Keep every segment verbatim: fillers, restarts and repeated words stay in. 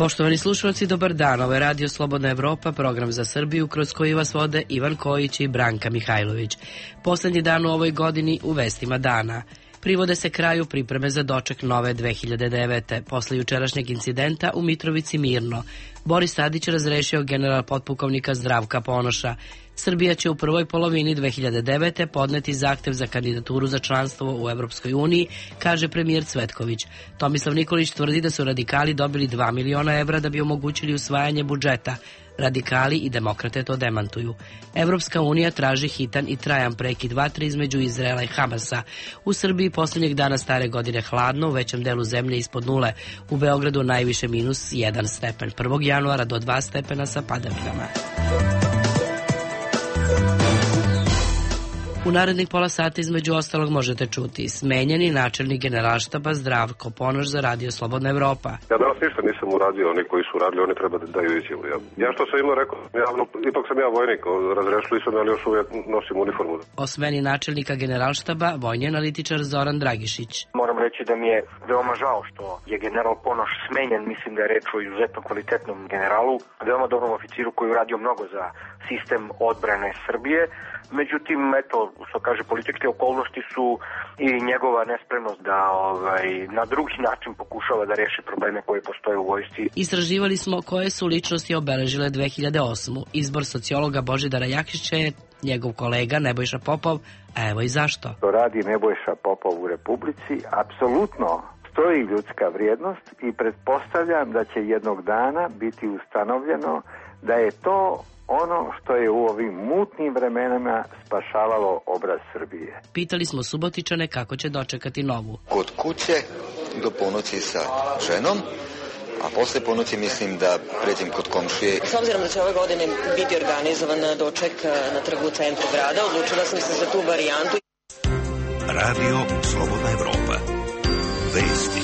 Poštovani slušalci, dobar dan. Ovo je Radio Slobodna Evropa, program za Srbiju kroz koji vas vode Ivan Kojić i Branka Mihajlović. Poslednji dan u ovoj godini u vestima dana. Privode se kraju pripreme za doček nove dve hiljade devete. Posle jučerašnjeg incidenta u Mitrovici Mirno, Boris Tadić razrešio general potpukovnika Zdravka Ponoša. Srbija će u prvoj polovini dve hiljade devete. podneti zahtev za kandidaturu za članstvo u Evropskoj uniji, kaže premijer Cvetković. Tomislav Nikolić tvrdi da su radikali dobili dva miliona evra da bi omogućili usvajanje budžeta. Radikali i demokrate to demantuju. Evropska unija traži hitan i trajan prekid vatre između Izraela i Hamasa. U Srbiji poslednjeg dana stare godine hladno, u većem delu zemlje ispod nule. U Beogradu najviše minus jedan stepen. prvog januara do dva stepena sa padavinama. U narednih pola sata između ostalog možete čuti smenjeni načelnik generalštaba Zdravko Ponoš za Radio Slobodna Evropa. Ja danas ništa nisam uradio, oni koji su radili, oni treba da daju izjavu. Ja, ja što sam imao rekao, javno, ipak sam ja vojnik, razrešili sam, ali još uvijek nosim uniformu. O smeni načelnika generalštaba vojni analitičar Zoran Dragišić. Moram reći da mi je veoma žao što je general Ponoš smenjen, mislim da je reč o izuzetno kvalitetnom generalu, veoma dobrom oficiru koji je uradio mnogo za sistem odbrane Srbije. Međutim, eto, što kaže, političke okolnosti su i njegova nespremnost da ovaj, na drugi način pokušava da reši probleme koje postoje u vojsci. Istraživali smo koje su ličnosti obeležile dve hiljade osmu. Izbor sociologa Božidara Jakšića je njegov kolega Nebojša Popov, a evo i zašto. To radi Nebojša Popov u Republici, apsolutno stoji ljudska vrijednost i pretpostavljam da će jednog dana biti ustanovljeno da je to ono što je u ovim mutnim vremenama spašavalo obraz Srbije. Pitali smo Subotičane kako će dočekati novu. Kod kuće do ponoći sa ženom, a posle ponoći mislim da pređem kod komšije. S obzirom da će ove godine biti organizovan doček na trgu u centru grada, odlučila sam se za tu varijantu. Radio Slobodna Evropa. Vesti.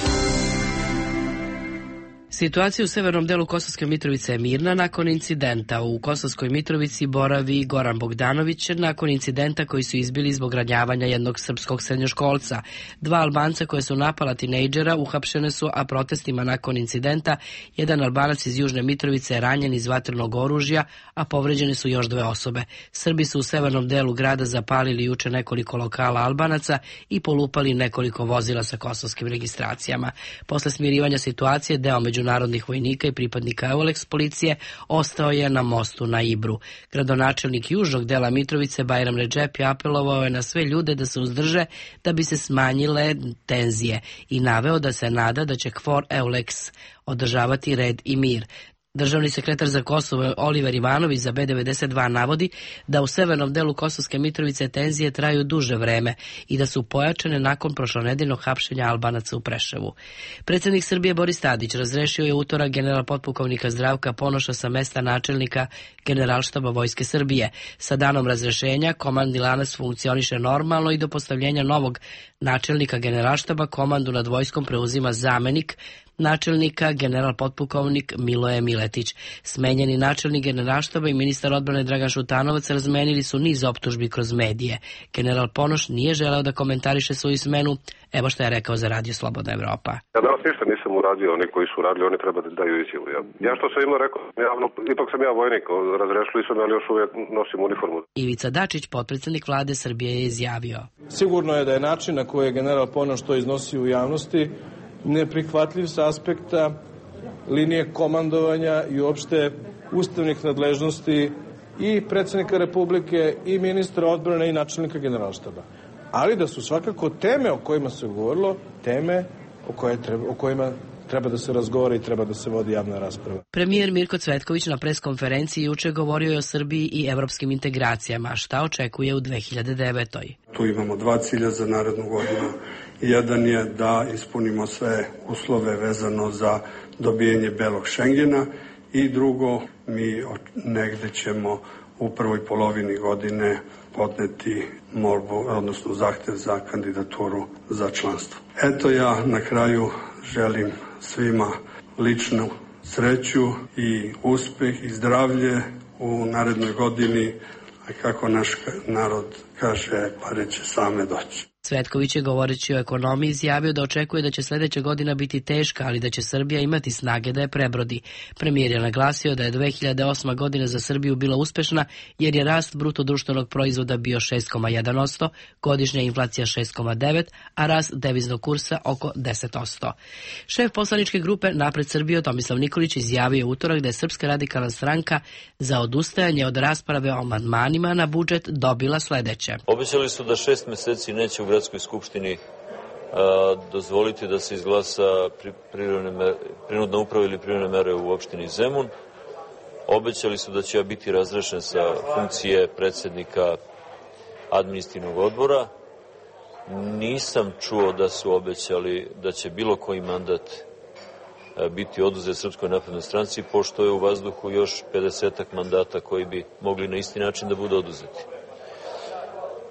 Situacija u severnom delu Kosovske Mitrovice je mirna nakon incidenta. U Kosovskoj Mitrovici boravi Goran Bogdanović nakon incidenta koji su izbili zbog ranjavanja jednog srpskog srednjoškolca. Dva Albanca koje su napala tinejdžera uhapšene su, a protestima nakon incidenta jedan Albanac iz Južne Mitrovice je ranjen iz vatrenog oružja, a povređene su još dve osobe. Srbi su u severnom delu grada zapalili juče nekoliko lokala Albanaca i polupali nekoliko vozila sa kosovskim registracijama. Posle smirivanja situacije, deo među narodnih vojnika i pripadnika Eulex policije ostao je na mostu na Ibru. Gradonačelnik južnog dela Mitrovice Bajram Redžepi apelovao je na sve ljude da se uzdrže da bi se smanjile tenzije i naveo da se nada da će KFOR Eulex održavati red i mir. Državni sekretar za Kosovo Oliver Ivanović za B devedeset dva navodi da u severnom delu Kosovske Mitrovice tenzije traju duže vreme i da su pojačane nakon prošlonedeljnog hapšenja Albanaca u Preševu. Predsjednik Srbije Boris Tadić razrešio je utorak general potpukovnika Zdravka Ponoša sa mesta načelnika Generalštaba Vojske Srbije. Sa danom razrešenja komandni lanac funkcioniše normalno i do postavljenja novog načelnika Generalštaba komandu nad vojskom preuzima zamenik načelnika general potpukovnik Miloje Miletić. Smenjeni načelnik generalštaba i ministar odbrane Dragan Šutanovac razmenili su niz optužbi kroz medije. General Ponoš nije želeo da komentariše svoju smenu. Evo što je rekao za Radio Slobodna Evropa. Ja danas ništa nisam uradio, oni koji su radili, oni treba da daju izjavu. Ja, ja što sam imao rekao, javno, ipak sam ja vojnik, razrešili sam, ali još uvijek nosim uniformu. Ivica Dačić, potpredsjednik vlade Srbije, je izjavio. Sigurno je da je način na koji je general Ponoš to iznosio u javnosti neprihvatljiv sa aspekta linije komandovanja i uopšte ustavnih nadležnosti i predsjednika Republike i ministra odbrane i načelnika generalštaba. Ali da su svakako teme o kojima se govorilo, teme o, koje treba, o kojima treba da se razgovara i treba da se vodi javna rasprava. Premijer Mirko Cvetković na preskonferenciji juče govorio je o Srbiji i evropskim integracijama. Šta očekuje u dve hiljade devetoj? Tu imamo dva cilja za narednu godinu. Jedan je da ispunimo sve uslove vezano za dobijanje belog Šengena i drugo, mi negde ćemo u prvoj polovini godine podneti molbu, odnosno zahtev za kandidaturu za članstvo. Eto, ja na kraju želim svima ličnu sreću i uspeh i zdravlje u narednoj godini, a kako naš narod kaže, pare će same doći. Cvetković je, govoreći o ekonomiji, izjavio da očekuje da će sljedeća godina biti teška, ali da će Srbija imati snage da je prebrodi. Premijer je naglasio da je dve hiljade osma godina za Srbiju bila uspešna jer je rast bruto društvenog proizvoda bio šest zarez jedan posto, godišnja inflacija šest zarez devet posto, a rast deviznog kursa oko deset posto. Šef poslaničke grupe Napred Srbije Tomislav Nikolić izjavio utorak da je Srpska radikalna stranka za odustajanje od rasprave o amandmanima na budžet dobila sledeće. Obećali su da šest meseci neće u gradskoj skupštini a, dozvoliti da se izglasa pri, mere, prinudna uprava ili privremene mere u opštini Zemun. Obećali su da će ja biti razrešen sa funkcije predsednika administrativnog odbora. Nisam čuo da su obećali da će bilo koji mandat biti oduzet Srpskoj naprednoj stranci, pošto je u vazduhu još pedesetak mandata koji bi mogli na isti način da budu oduzeti.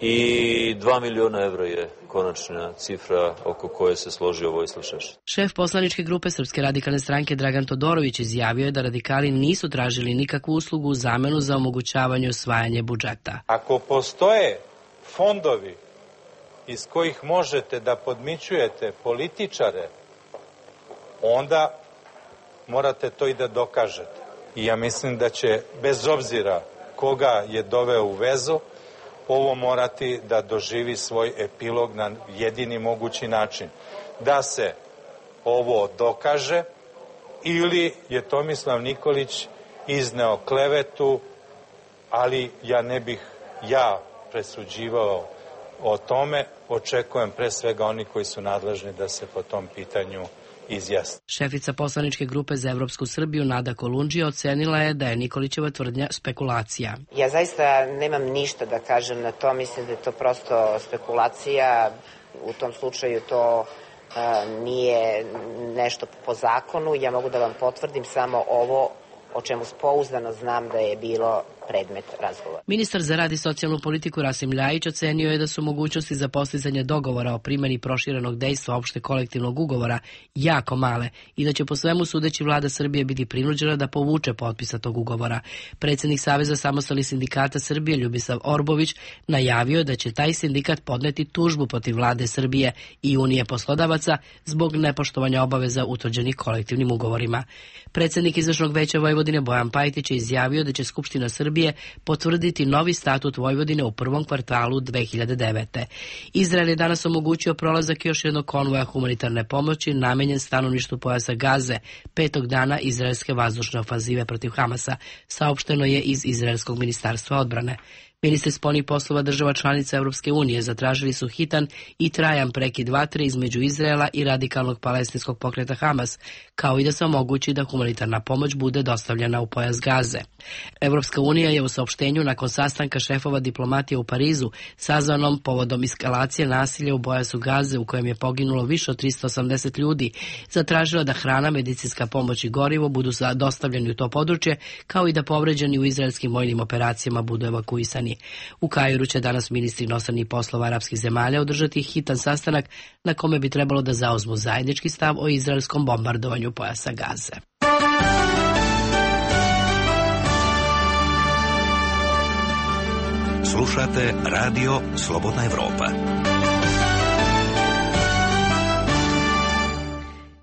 I dva miliona evra je konačna cifra oko koje se složio Vojislav Šešelj. Šef poslaničke grupe Srpske radikalne stranke Dragan Todorović izjavio je da radikali nisu tražili nikakvu uslugu u zamenu za omogućavanje usvajanje budžeta. Ako postoje fondovi iz kojih možete da podmićujete političare, onda morate to i da dokažete. I ja mislim da će, bez obzira koga je doveo u vezu, ovo morati da doživi svoj epilog na jedini mogući način. Da se ovo dokaže ili je Tomislav Nikolić izneo klevetu, ali ja ne bih ja presuđivao o tome. Očekujem pre svega oni koji su nadležni da se po tom pitanju izjasni. Šefica poslaničke grupe za Evropsku Srbiju Nada Kolundžija ocenila je da je Nikolićeva tvrdnja spekulacija. Ja zaista nemam ništa da kažem na to, mislim da je to prosto spekulacija, u tom slučaju to uh, nije nešto po zakonu, ja mogu da vam potvrdim samo ovo o čemu pouzdano znam da je bilo predmet razgovora. Ministar za rad i socijalnu politiku Rasim Ljajić ocenio je da su mogućnosti za postizanje dogovora o primjeni proširenog dejstva opšte kolektivnog ugovora jako male i da će po svemu sudeći vlada Srbije biti prinuđena da povuče potpisa tog ugovora. Predsjednik Saveza samostalnih sindikata Srbije Ljubisav Orbović najavio da će taj sindikat podneti tužbu protiv vlade Srbije i Unije poslodavaca zbog nepoštovanja obaveza utvrđenih kolektivnim ugovorima. Predsjednik izvršnog veća Vojvodine Bojan Pajtić je izjavio da će Skupština Srbije potvrditi novi statut Vojvodine u prvom kvartalu dve hiljade devete. Izrael je danas omogućio prolazak još jednog konvoja humanitarne pomoći namenjen stanovništvu pojasa Gaze, petog dana izraelske vazdušne ofanzive protiv Hamasa, saopšteno je iz Izraelskog ministarstva odbrane. Ministri spoljnih poslova država članica Europske unije zatražili su hitan i trajan prekid vatre između Izraela i radikalnog palestinskog pokreta Hamas, kao i da se omogući da humanitarna pomoć bude dostavljena u pojas Gaze. Europska unija je u saopštenju nakon sastanka šefova diplomatije u Parizu, sazvanom povodom eskalacije nasilja u pojasu Gaze u kojem je poginulo više od tristo osamdeset ljudi, zatražila da hrana, medicinska pomoć i gorivo budu dostavljeni u to područje, kao i da povređeni u izraelskim vojnim operacijama budu evakuisani. U Kairu će danas ministri inostranih poslova arapskih zemalja održati hitan sastanak na kome bi trebalo da zauzmu zajednički stav o izraelskom bombardovanju pojasa Gaze. Slušate Radio Slobodna Evropa.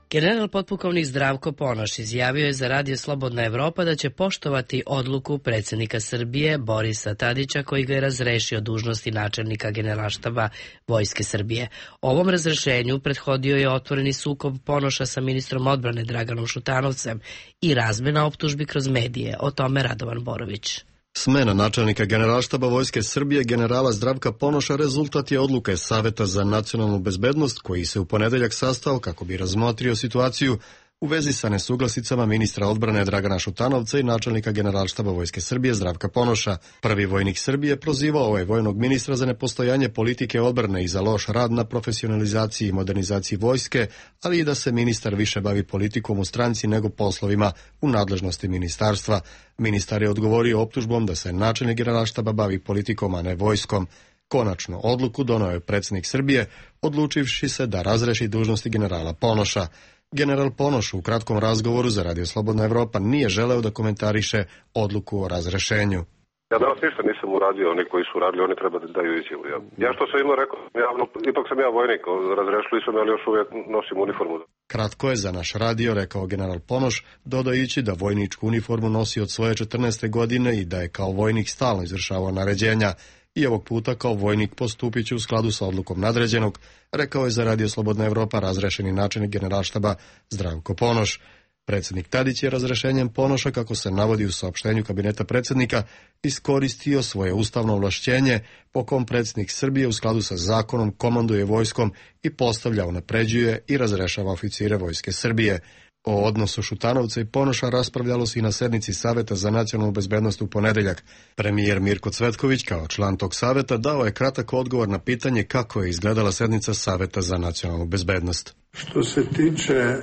General potpukovnik Zdravko Ponoš izjavio je za Radio Slobodna Evropa da će poštovati odluku predsjednika Srbije Borisa Tadića koji ga je razrešio dužnosti načelnika Generalštaba Vojske Srbije. Ovom razrešenju prethodio je otvoreni sukob Ponoša sa ministrom odbrane Draganom Šutanovcem i razmena optužbi kroz medije. O tome Radovan Borović. Smena načelnika Generalštaba Vojske Srbije generala Zdravka Ponoša rezultat je odluke Saveta za nacionalnu bezbednost koji se u ponedeljak sastao kako bi razmotrio situaciju u vezi sa nesuglasicama ministra odbrane Dragana Šutanovca i načelnika Generalštaba Vojske Srbije Zdravka Ponoša. Prvi vojnik Srbije prozivao ovaj vojnog ministra za nepostojanje politike odbrane i za loš rad na profesionalizaciji i modernizaciji vojske, ali i da se ministar više bavi politikom u stranci nego poslovima u nadležnosti ministarstva. Ministar je odgovorio optužbom da se načelnik Generalštaba bavi politikom, a ne vojskom. Konačnu odluku doneo je predsjednik Srbije, odlučivši se da razreši dužnosti generala Ponoša. General Ponoš u kratkom razgovoru za Radio Slobodna Evropa nije želeo da komentariše odluku o razrešenju. Ja danas ništa nisam uradio, oni koji su radili, oni treba da daju izjavu. Ja, ja što sam imao rekao, javno, ipak sam ja vojnik, razrešili su me, ali još uvijek nosim uniformu. Kratko je za naš radio rekao general Ponoš, dodajući da vojničku uniformu nosi od svoje četrnaeste godine i da je kao vojnik stalno izvršavao naređenja. I ovog puta kao vojnik postupit će u skladu sa odlukom nadređenog, rekao je za Radio Slobodna Evropa razrešeni načelnik generalštaba Zdravko Ponoš. Predsjednik Tadić je razrešenjem Ponoša, kako se navodi u saopštenju kabineta predsjednika, iskoristio svoje ustavno ovlašćenje po kom predsjednik Srbije u skladu sa zakonom komanduje vojskom i postavlja, unapređuje i razrešava oficire vojske Srbije. O odnosu Šutanovca i Ponoša raspravljalo se i na sednici Saveta za nacionalnu bezbednost u ponedeljak. Premijer Mirko Cvetković, kao član tog saveta, dao je kratak odgovor na pitanje kako je izgledala sednica Saveta za nacionalnu bezbednost. Što se tiče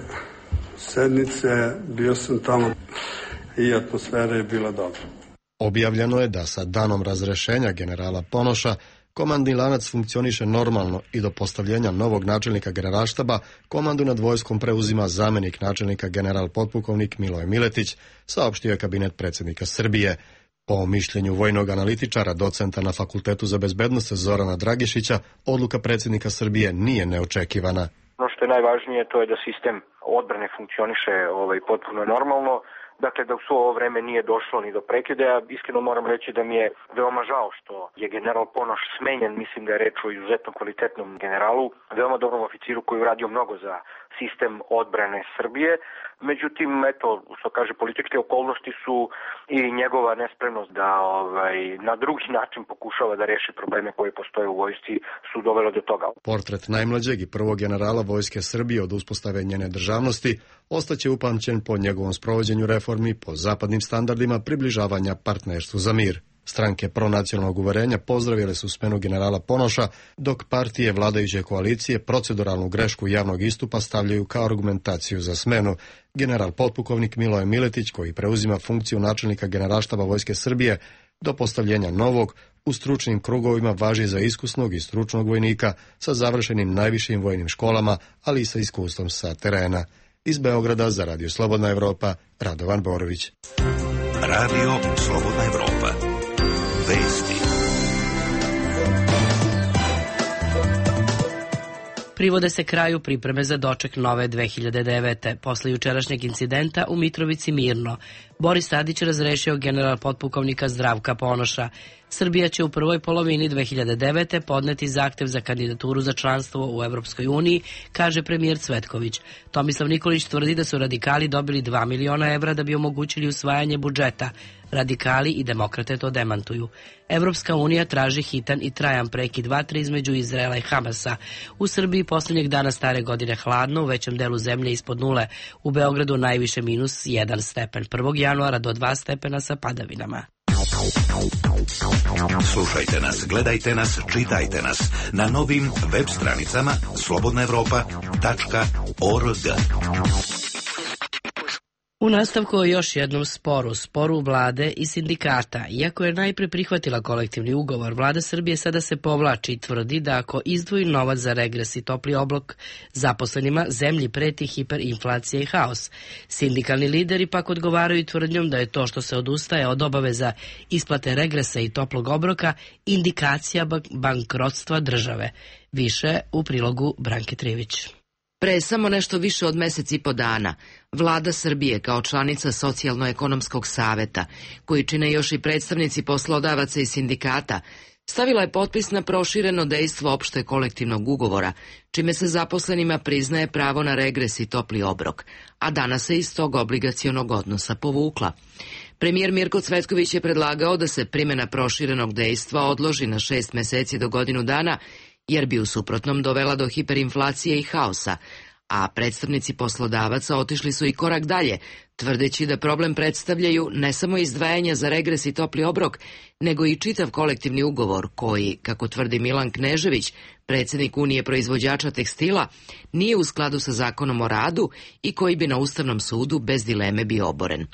sednice, bio sam tamo i atmosfera je bila dobra. Objavljeno je da sa danom razrešenja generala Ponoša komandni lanac funkcioniše normalno i do postavljenja novog načelnika generalštaba komandu nad vojskom preuzima zamjenik načelnika general potpukovnik Miloje Miletić, saopštio je kabinet predsjednika Srbije. Po mišljenju vojnog analitičara, docenta na Fakultetu za bezbednost Zorana Dragišića, odluka predsjednika Srbije nije neočekivana. Ono što je najvažnije to je da sistem odbrane funkcioniše ovaj, potpuno normalno. Dakle, da u svo ovo vreme nije došlo ni do prekida. Ja iskreno moram reći da mi je veoma žao što je general Ponoš smenjen. Mislim da je reč o izuzetno kvalitetnom generalu, veoma dobrom oficiru koji je uradio mnogo za sistem odbrane Srbije. Međutim, eto, što kaže, političke okolnosti su i njegova nespremnost da ovaj, na drugi način pokušava da reši probleme koje postoje u vojsci su dovelo do toga. Portret najmlađeg i prvog generala vojske Srbije od uspostave njene državnosti ostaće upamćen po njegovom sprovođenju reformi po zapadnim standardima približavanja partnerstvu za mir. Stranke pronacionalnog uverenja pozdravile su smenu generala Ponoša, dok partije vladajuće koalicije proceduralnu grešku javnog istupa stavljaju kao argumentaciju za smenu. General potpukovnik Miloje Miletić, koji preuzima funkciju načelnika generalštaba vojske Srbije, do postavljenja novog, u stručnim krugovima važi za iskusnog i stručnog vojnika sa završenim najvišim vojnim školama, ali i sa iskustvom sa terena. Iz Beograda za Radio Slobodna Evropa, Radovan Borović. Radio Slobodna Evropa. Vesti. Privode se kraju pripreme za doček nove dve hiljade devete. Posle jučerašnjeg incidenta u Mitrovici Mirno, Boris Tadić razrešio general potpukovnika Zdravka Ponoša. Srbija će u prvoj polovini dve hiljade devete podneti zahtev za kandidaturu za članstvo u Evropskoj uniji, kaže premijer Cvetković. Tomislav Nikolić tvrdi da su radikali dobili dva miliona evra da bi omogućili usvajanje budžeta. Radikali i demokrate to demantuju. Evropska unija traži hitan i trajan prekid vatre između Izraela i Hamasa. U Srbiji posljednjeg dana stare godine hladno, u većem delu zemlje ispod nule. U Beogradu najviše minus jedan stepen. prvog januara do dva stepena sa padavinama. Slušajte nas, gledajte nas, čitajte nas na novim web stranicama slobodna evropa tačka org. U nastavku o još jednom sporu, sporu vlade i sindikata. Iako je najpre prihvatila kolektivni ugovor, vlada Srbije sada se povlači i tvrdi da ako izdvoji novac za regres i topli oblak zaposlenima, zemlji preti hiperinflacija i haos. Sindikalni lideri pak odgovaraju tvrdnjom da je to što se odustaje od obaveza isplate regresa i toplog obroka indikacija bankrotstva države. Više u prilogu Branke Trivić. Pre samo nešto više od mesec i po dana, vlada Srbije kao članica Socijalno-ekonomskog saveta, koji čine još i predstavnici poslodavaca i sindikata, stavila je potpis na prošireno dejstvo opšte kolektivnog ugovora, čime se zaposlenima priznaje pravo na regres i topli obrok, a danas se iz tog obligacionog odnosa povukla. Premijer Mirko Cvetković je predlagao da se primjena proširenog dejstva odloži na šest meseci do godinu dana, jer bi u suprotnom dovela do hiperinflacije i haosa, a predstavnici poslodavaca otišli su i korak dalje, tvrdeći da problem predstavljaju ne samo izdvajanja za regres i topli obrok, nego i čitav kolektivni ugovor koji, kako tvrdi Milan Knežević, predsjednik Unije proizvođača tekstila, nije u skladu sa zakonom o radu i koji bi na Ustavnom sudu bez dileme bio oboren.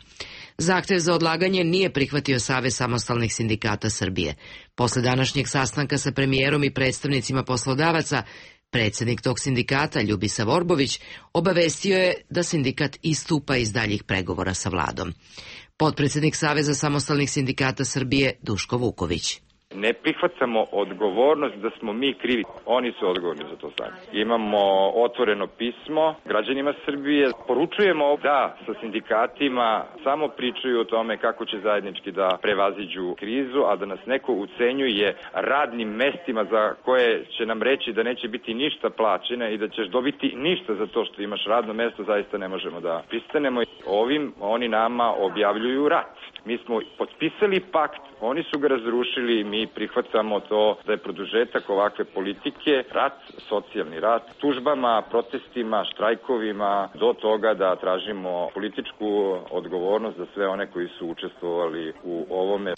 Zahtev za odlaganje nije prihvatio Savez samostalnih sindikata Srbije. Posle današnjeg sastanka sa premijerom i predstavnicima poslodavaca, predsjednik tog sindikata, Ljubisa Vorbović, obavestio je da sindikat istupa iz daljih pregovora sa vladom. Potpredsednik Saveza samostalnih sindikata Srbije Duško Vuković. Ne prihvatamo odgovornost da smo mi krivi. Oni su odgovorni za to stanje. Imamo otvoreno pismo građanima Srbije. Poručujemo da sa sindikatima samo pričaju o tome kako će zajednički da prevaziđu krizu, a da nas neko ucenjuje radnim mestima za koje će nam reći da neće biti ništa plaćene i da ćeš dobiti ništa za to što imaš radno mesto, zaista ne možemo da pristanemo. Ovim oni nama objavljuju rat. Mi smo potpisali pakt, oni su ga razrušili, mi prihvatamo to da je produžetak ovakve politike, rat, socijalni rat, tužbama, protestima, štrajkovima, do toga da tražimo političku odgovornost za sve one koji su učestvovali u ovome.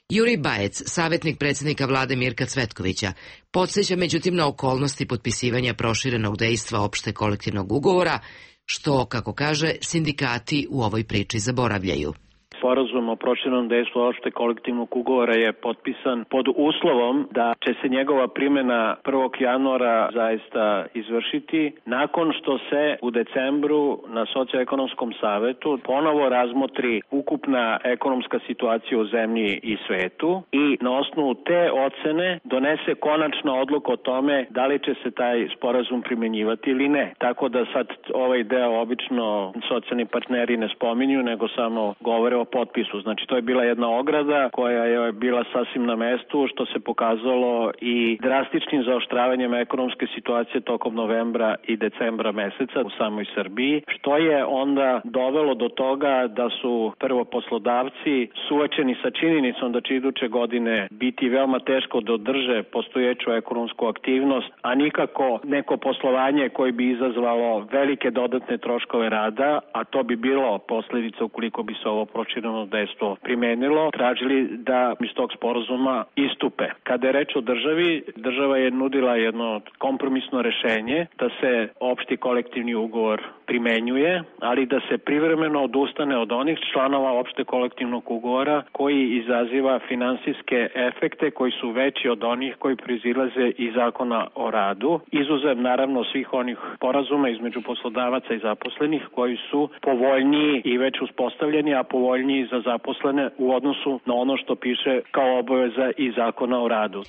Jurij Bajec, savjetnik predsjednika vlade Mirka Cvetkovića, podsjeća međutim na okolnosti potpisivanja proširenog dejstva opšte kolektivnog ugovora, što, kako kaže, sindikati u ovoj priči zaboravljaju. Sporazum o proširenom dejstvu opšteg kolektivnog ugovora je potpisan pod uslovom da će se njegova primjena prvog januara zaista izvršiti nakon što se u decembru na Socioekonomskom savetu ponovo razmotri ukupna ekonomska situacija u zemlji i svetu i na osnovu te ocene donese konačna odluka o tome da li će se taj sporazum primjenjivati ili ne. Tako da sad ovaj deo obično socijalni partneri ne spominju, nego samo govore o potpisu. Znači to je bila jedna ograda koja je bila sasvim na mestu, što se pokazalo i drastičnim zaoštravanjem ekonomske situacije tokom novembra i decembra meseca u samoj Srbiji, što je onda dovelo do toga da su prvo poslodavci suočeni sa činjenicom da će iduće godine biti veoma teško da održe postojeću ekonomsku aktivnost, a nikako neko poslovanje koje bi izazvalo velike dodatne troškove rada, a to bi bilo posljedica ukoliko bi se ovo prošireno dejstvo primenilo, tražili da iz tog sporazuma istupe. Kada je reč o državi, država je nudila jedno kompromisno rešenje da se opšti kolektivni ugovor primenjuje, ali da se privremeno odustane od onih članova opšte kolektivnog ugovora koji izaziva finansijske efekte koji su veći od onih koji proizilaze iz zakona o radu, izuzev naravno svih onih sporazuma između poslodavaca i zaposlenih koji su povoljniji i već uspostavljeni, a povoljniji za zaposlene u odnosu na ono što piše kao obaveza iz zakona o radu.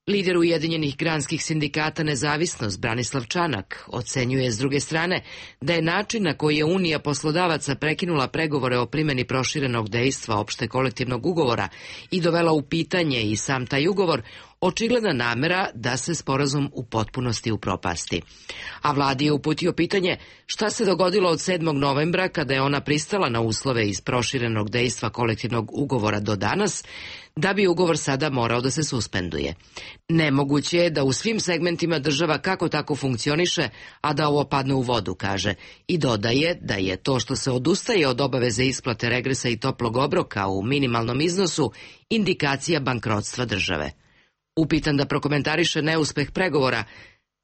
Lider Ujedinjenih granskih sindikata Nezavisnost Branislav Čanak ocenjuje s druge strane da je način na koji je Unija poslodavaca prekinula pregovore o primjeni proširenog dejstva opšte kolektivnog ugovora i dovela u pitanje i sam taj ugovor očigledna namera da se sporazum u potpunosti upropasti. A vladi je uputio pitanje šta se dogodilo od sedmog novembra kada je ona pristala na uslove iz proširenog dejstva kolektivnog ugovora do danas, da bi ugovor sada morao da se suspenduje. Nemoguće je da u svim segmentima država kako tako funkcioniše, a da ovo padne u vodu, kaže, i dodaje da je to što se odustaje od obaveze isplate regresa i toplog obroka u minimalnom iznosu indikacija bankrotstva države. Upitan da prokomentariše neuspeh pregovora,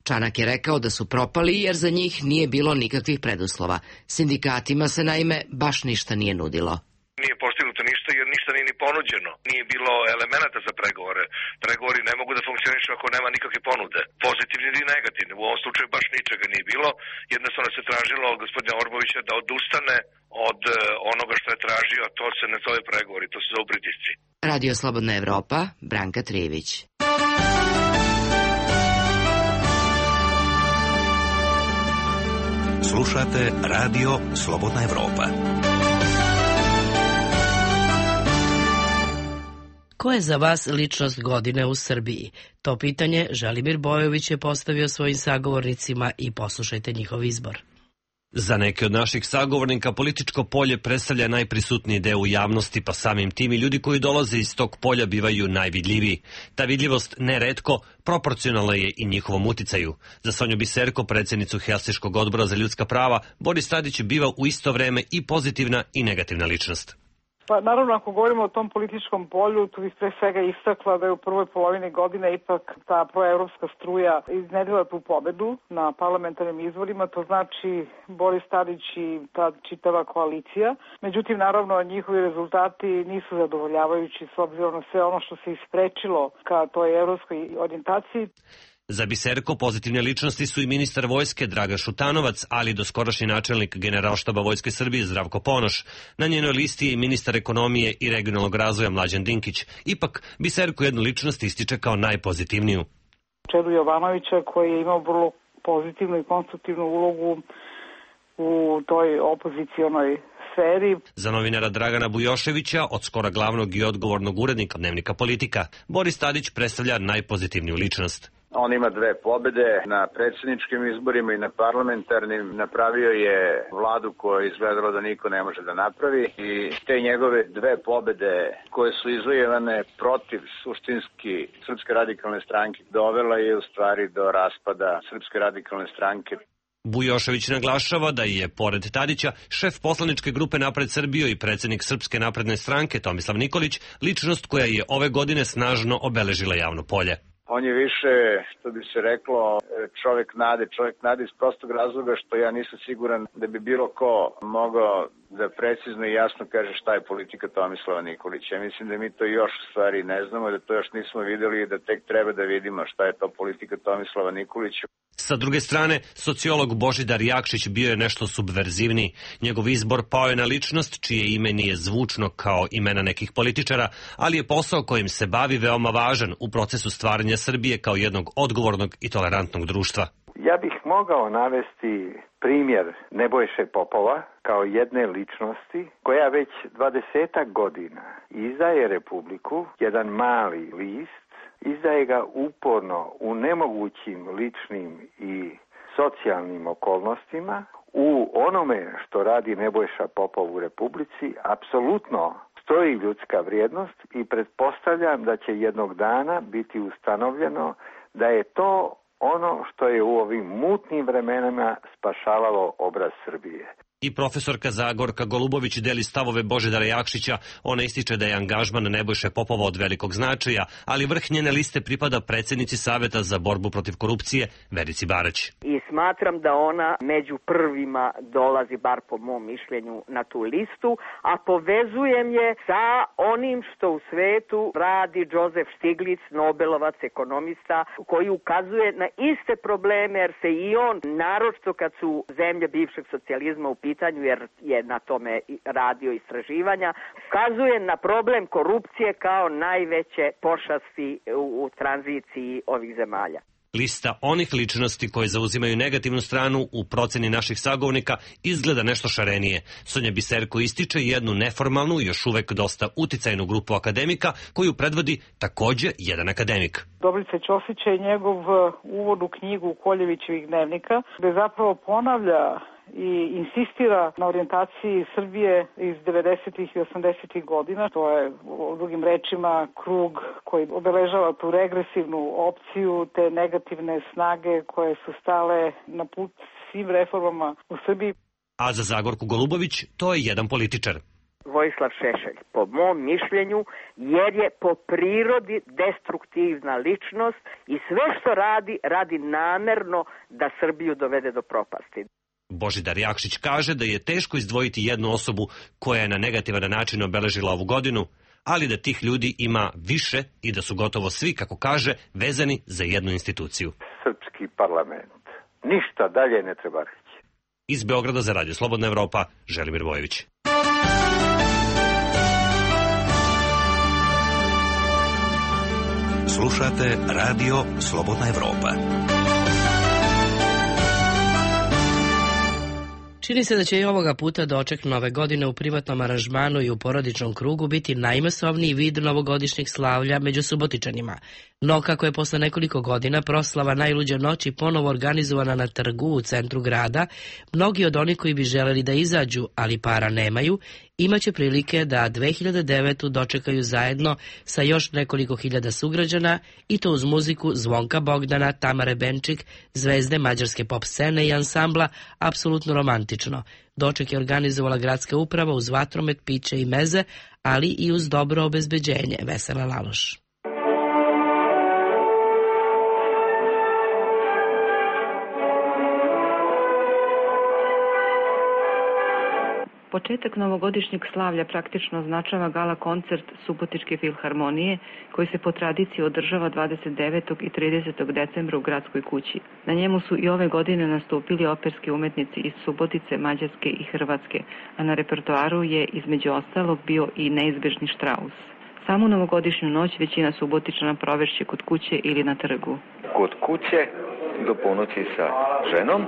Čanak je rekao da su propali jer za njih nije bilo nikakvih preduslova. Sindikatima se naime baš ništa nije nudilo. Nije postignuto ništa jer ništa nije ni ponuđeno. Nije bilo elemenata za pregovore. Pregovori ne mogu da funkcionišu ako nema nikakve ponude. Pozitivni ili negativni. U ovom slučaju baš ničega nije bilo. Jednostavno se tražilo od gospodina Orbovića da odustane od onoga što je tražio, a to se ne zove pregovori, to se zove pritisci. Radio Slobodna Evropa, Branka Trijević. Slušate Radio Slobodna Evropa. Ko je za vas ličnost godine u Srbiji? To pitanje Želimir Bojović je postavio svojim sagovornicima i poslušajte njihov izbor. Za neke od naših sagovornika političko polje predstavlja najprisutniji deo u javnosti, pa samim tim i ljudi koji dolaze iz tog polja bivaju najvidljiviji. Ta vidljivost neretko proporcionalna je i njihovom uticaju. Za Sonju Biserko, predsjednicu Helsinškog odbora za ljudska prava, Boris Tadić biva u isto vreme i pozitivna i negativna ličnost. Pa naravno, ako govorimo o tom političkom polju, tu bih pre svega istakla da je u prvoj polovini godine ipak ta proevropska struja iznedrila tu pobedu na parlamentarnim izborima, to znači Boris Tadić i ta čitava koalicija. Međutim, naravno, njihovi rezultati nisu zadovoljavajući s obzirom na sve ono što se isprečilo ka toj evropskoj orijentaciji. Za Biserko pozitivne ličnosti su i ministar vojske Dragan Šutanovac, ali i doskorašnji načelnik Generalštaba Vojske Srbije Zdravko Ponoš. Na njenoj listi je i ministar ekonomije i regionalnog razvoja Mlađan Dinkić. Ipak, Biserko jednu ličnost ističe kao najpozitivniju. Čedu Jovanovića koji je imao vrlo pozitivnu i konstruktivnu ulogu u toj opozicionoj sferi. Za novinara Dragana Bujoševića, od skora glavnog i odgovornog urednika Dnevnika Politika, Boris Tadić predstavlja najpozitivniju ličnost. On ima dve pobede na predsjedničkim izborima i na parlamentarnim. Napravio je vladu koja je izgledalo da niko ne može da napravi i te njegove dve pobede koje su izvojevane protiv suštinski Srpske radikalne stranke dovela je u stvari do raspada Srpske radikalne stranke. Bujošević naglašava da je, pored Tadića, šef poslaničke grupe Napred Srbiju i predsjednik Srpske napredne stranke Tomislav Nikolić, ličnost koja je ove godine snažno obeležila javno polje. On je više, što bi se reklo, čovjek nade, čovjek nade iz prostog razloga što ja nisam siguran da bi bilo ko mogao da precizno i jasno kaže šta je politika Tomislava Nikolića. Ja mislim da mi to još u stvari ne znamo, da to još nismo vidjeli i da tek treba da vidimo šta je to politika Tomislava Nikolića. Sa druge strane, sociolog Božidar Jakšić bio je nešto subverzivniji. Njegov izbor pao je na ličnost čije ime nije zvučno kao imena nekih političara, ali je posao kojim se bavi veoma važan u procesu stvaranja Srbije kao jednog odgovornog i tolerantnog društva. Ja bih mogao navesti primjer Nebojše Popova kao jedne ličnosti koja već dvadesetak godina izdaje Republiku, jedan mali list, izdaje ga uporno u nemogućim ličnim i socijalnim okolnostima. U onome što radi Nebojša Popov u Republici apsolutno stoji ljudska vrijednost i pretpostavljam da će jednog dana biti ustanovljeno da je to ono što je u ovim mutnim vremenima spašavalo obraz Srbije. I profesorka Zagorka Golubović deli stavove Božidara Jakšića. Ona ističe da je angažman Nebojše Popova od velikog značaja, ali vrh njene liste pripada predsjednici Saveta za borbu protiv korupcije Verici Barać. I smatram da ona među prvima dolazi, bar po mom mišljenju, na tu listu, a povezujem je sa onim što u svetu radi Josef Stiglitz, Nobelovac, ekonomista, koji ukazuje na iste probleme, jer se i on, naročito kad su zemlje bivšeg socijalizma u pitanju, jer je na tome radio istraživanja, ukazuje na problem korupcije kao najveće pošasti u, u tranziciji ovih zemalja. Lista onih ličnosti koje zauzimaju negativnu stranu u proceni naših sagovornika izgleda nešto šarenije. Sonja Biserko ističe jednu neformalnu, još uvek dosta uticajnu grupu akademika koju predvodi takođe jedan akademik. Dobrica Ćosić je njegov uvod u knjigu Koljevićevih dnevnika, gde zapravo ponavlja i insistira na orijentaciji Srbije iz devedesetih i osamdesetih godina. To je, u drugim rečima, krug koji obeležava tu regresivnu opciju, te negativne snage koje su stale na put svim reformama u Srbiji. A za Zagorku Golubović to je jedan političar. Vojislav Šešelj, po mom mišljenju, jer je po prirodi destruktivna ličnost i sve što radi, radi namerno da Srbiju dovede do propasti. Božidar Jakšić kaže da je teško izdvojiti jednu osobu koja je na negativan način obeležila ovu godinu, ali da tih ljudi ima više i da su gotovo svi, kako kaže, vezani za jednu instituciju. Srpski parlament. Ništa dalje ne treba reći. Iz Beograda za Radio Slobodna Evropa, Želimir Vojević. Slušate Radio Slobodna Evropa. Čini se da će i ovoga puta doček nove godine u privatnom aranžmanu i u porodičnom krugu biti najmasovniji vid novogodišnjeg slavlja među Subotičanima. No, kako je posle nekoliko godina proslava najluđe noći ponovo organizovana na trgu u centru grada, mnogi od onih koji bi želeli da izađu, ali para nemaju, imaće prilike da dve hiljade devetu dočekaju zajedno sa još nekoliko hiljada sugrađana, i to uz muziku Zvonka Bogdana, Tamare Benčik, zvezde mađarske pop scene i ansambla Apsolutno romantično. Doček je organizovala gradska uprava uz vatromet, piće i meze, ali i uz dobro obezbeđenje. Vesela Laloš. Početak novogodišnjeg slavlja praktično označava gala koncert Subotičke filharmonije koji se po tradiciji održava dvadeset devetog i tridesetog decembra u Gradskoj kući. Na njemu su i ove godine nastupili operski umetnici iz Subotice, Mađarske i Hrvatske, a na repertoaru je između ostalog bio i neizbežni Štraus. Samu novogodišnju noć većina Subotičana provešće kod kuće ili na trgu. Kod kuće do ponoći sa ženom,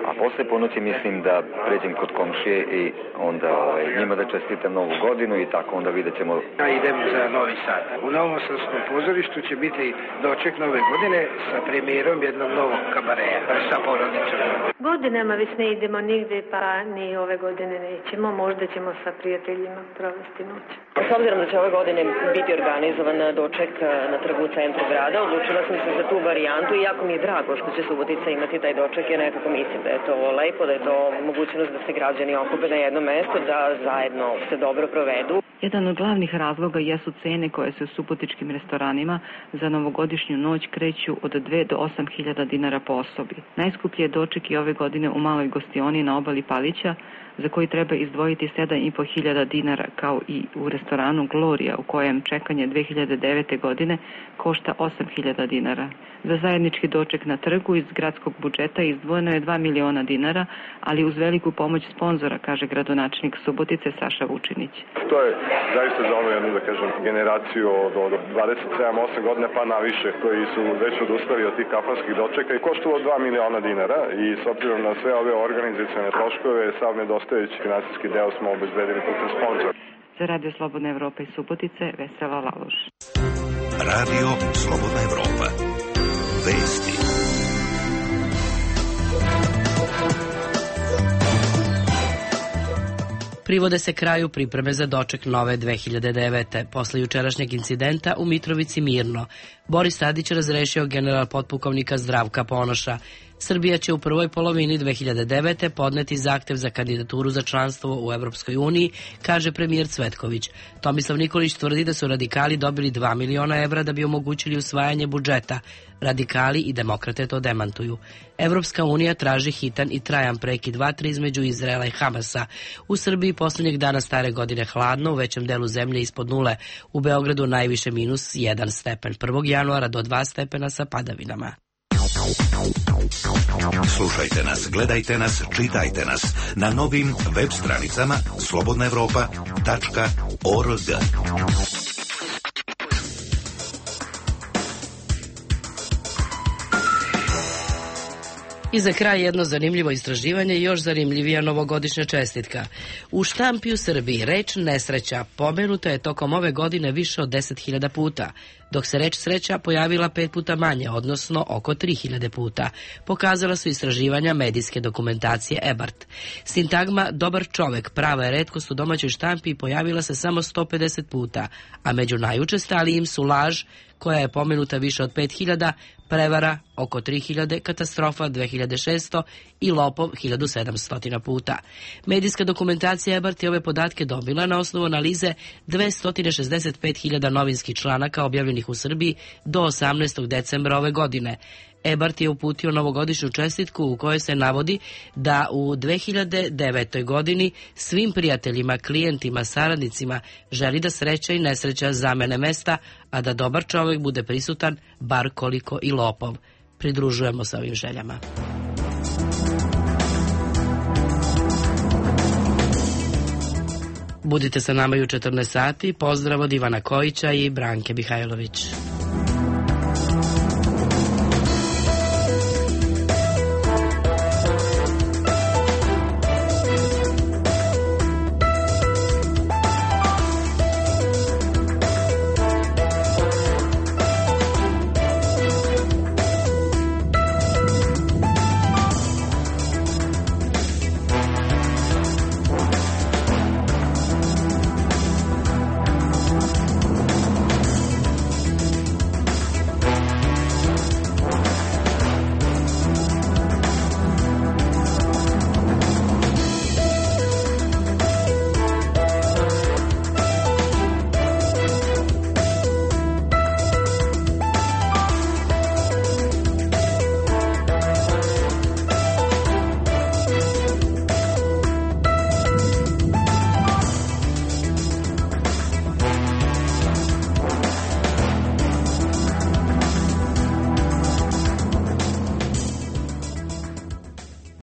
a posle ponoći mislim da pređem kod komšije i onda ovaj, njima da čestitam novu godinu i tako onda vidjet ćemo. Ja idem za Novi Sad. U Novom Sadskom pozorištu će biti doček nove godine sa premijerom jednog novog kabareja sa porodicom. Godinama već ne idemo nigde, pa ni ove godine nećemo. Možda ćemo sa prijateljima provesti noć. S obzirom da će ove godine biti organizovan doček na trgu u centru grada, odlučila sam se za tu varijantu i jako mi je drago što će Subotica imati taj doček, jer nekako mislim da je to lepo, da je to mogućnost da se građani okupe na jedno mesto, da zajedno se dobro provedu. Jedan od glavnih razloga jesu cene koje se u subotičkim restoranima za novogodišnju noć kreću od dve do osam hiljada dinara po osobi. Najskuplji je doček i ove godine u maloj gostioni na obali Palića, za koji treba izdvojiti sedam i po hiljada dinara, kao i u restoranu Gloria, u kojem čekanje dve hiljade devete. godine košta osam hiljada dinara. Za zajednički doček na trgu iz gradskog budžeta izdvojeno je dva miliona dinara, ali uz veliku pomoć sponzora, kaže gradonačelnik Subotice Saša Vučinić. To je zaista za onu jednu, da kažem, generaciju od, od dvadeset sedam osam godina pa naviše, koji su već odustali od tih kafanskih dočeka i koštalo dva miliona dinara i s obzirom na sve ove organizacione troškove, sav nedostajući finansijski deo smo obezbedili putem sponzora. Za Radio Slobodna Evropa iz Subotice, Vesela Laloš. Radio Slobodna Evropa. Vesti. Privode se kraju pripreme za doček nove dve hiljade devete. Posle jučerašnjeg incidenta u Mitrovici Mirno, Boris Tadić razrešio general potpukovnika Zdravka Ponoša. Srbija će u prvoj polovini dve hiljade devete. podneti zahtev za kandidaturu za članstvo u Evropskoj uniji, kaže premijer Cvetković. Tomislav Nikolić tvrdi da su radikali dobili dva miliona evra da bi omogućili usvajanje budžeta. Radikali i demokrate to demantuju. Evropska unija traži hitan i trajan prekid vatre između Izraela i Hamasa. U Srbiji poslednjeg dana stare godine hladno, u većem delu zemlje ispod nule. U Beogradu najviše minus jedan stepen. prvog januara do dva stepena sa padavinama. Slušajte nas, gledajte nas, čitajte nas na novim web stranicama slobodna evropa tačka org. I za kraj jedno zanimljivo istraživanje i još zanimljivija novogodišnja čestitka. U štampi u Srbiji reč nesreća pomenuta je tokom ove godine više od deset hiljada puta, dok se reč sreća pojavila pet puta manje, odnosno oko tri hiljade puta. Pokazala su istraživanja medijske dokumentacije E B A R T. Sintagma dobar čovek prava je retkost u domaćoj štampi i pojavila se samo sto pedeset puta, a među najučestalijim su laž, koja je pomenuta više od pet hiljada, prevara oko tri hiljade, katastrofa dve hiljade šesto i lopov hiljadu sedamsto puta. Medijska dokumentacija E B A R T je ove podatke dobila na osnovu analize dvesta šezdeset pet hiljada novinskih članaka objavljenih u Srbiji do osamnaestog decembra ove godine. E B A R T je uputio novogodišnju čestitku u kojoj se navodi da u dve hiljade devetoj. godini svim prijateljima, klijentima, saradnicima želi da sreća i nesreća zamene mesta, a da dobar čovjek bude prisutan bar koliko i lopov. Pridružujemo se ovim željama. Budite sa nama i u četrnaest sati. Pozdrav od Ivana Kojića i Branke Mihajlović.